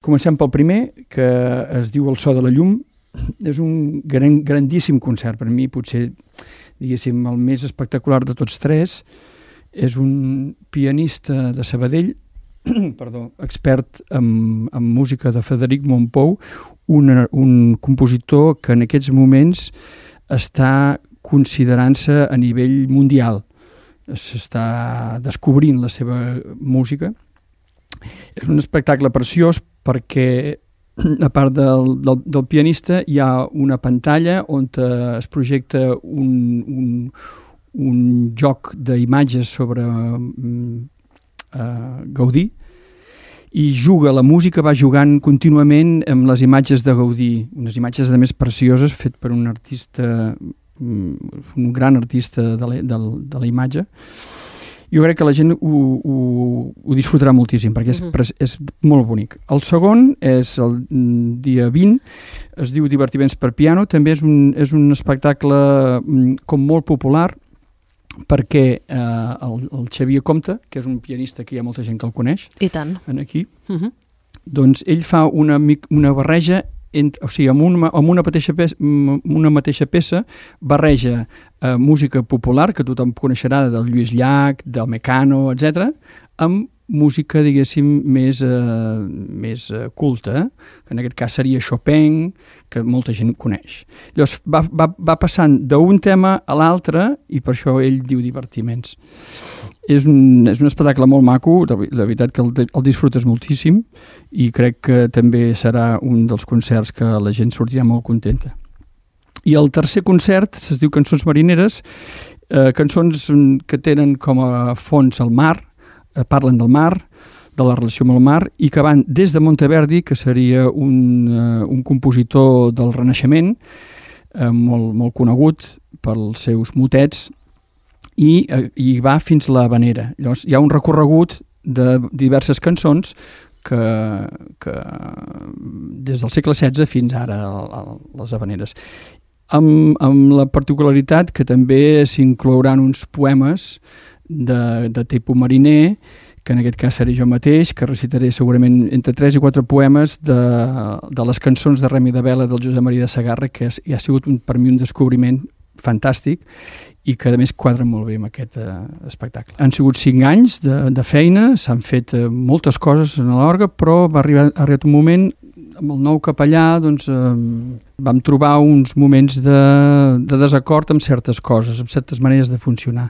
Comencem pel primer, que es diu El so de la llum. És un grandíssim concert. Per mi, potser, diguéssim, el més espectacular de tots tres. És un pianista de Sabadell, expert en música de Frederic Mompou, un compositor que en aquests moments està considerant-se a nivell mundial. S'està descobrint la seva música. És un espectacle preciós perquè, a part del pianista, hi ha una pantalla on es projecta un joc d'imatges sobre Gaudí, i la música va jugant contínuament amb les imatges de Gaudí, unes imatges a més precioses, fet per un artista, un gran artista de la imatge. Jo crec que la gent ho disfrutarà moltíssim, perquè és molt bonic. El segon és el dia 20, es diu Divertiments per piano, també és un espectacle com molt popular, perquè el Xavier Comte, que és un pianista que hi ha molta gent que el coneix, i tant, aquí, doncs ell fa una barreja, o sigui, amb una mateixa peça barreja música popular, que tothom coneixerà, del Lluís Llach, del Mecano, etc., amb música, diguéssim, més culta, que en aquest cas seria Chopin, que molta gent coneix. Llavors va passant d'un tema a l'altre, i per això ell diu Divertiments. És un espectacle molt maco, de veritat que el disfrutes moltíssim, i crec que també serà un dels concerts que la gent sortirà molt contenta. I el tercer concert es diu Cançons marineres, cançons que tenen com a fons el mar, parlen del mar, de la relació amb el mar, i que van des de Monteverdi, que seria un compositor del Renaixement, molt conegut pels seus motets, i va fins a l'Havanera. Llavors hi ha un recorregut de diverses cançons que des del segle XVI fins ara a les Havaneres. Amb la particularitat que també s'inclouran uns poemes de tipus mariner, que en aquest cas seré jo mateix, que recitaré segurament entre 3 i 4 poemes de les cançons de Remi de Vela del Josep Maria de Segarra, que ha sigut per mi un descobriment fantàstic i que a més quadren molt bé amb aquest espectacle. Han sigut 5 anys de feina, s'han fet moltes coses en l'orgue, però va arribar un moment, amb el nou capellà, doncs, vam trobar uns moments de desacord amb certes coses, amb certes maneres de funcionar.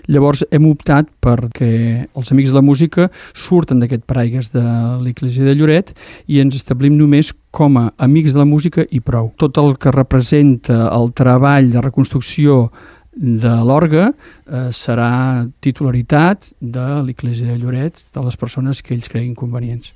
Llavors hem optat perquè els Amics de la Música surten d'aquest paraigües de l'Església de Lloret i ens establim només com a Amics de la Música i prou. Tot el que representa el treball de reconstrucció de l'orgue serà titularitat de l'Església de Lloret, de les persones que ells creguin convenients.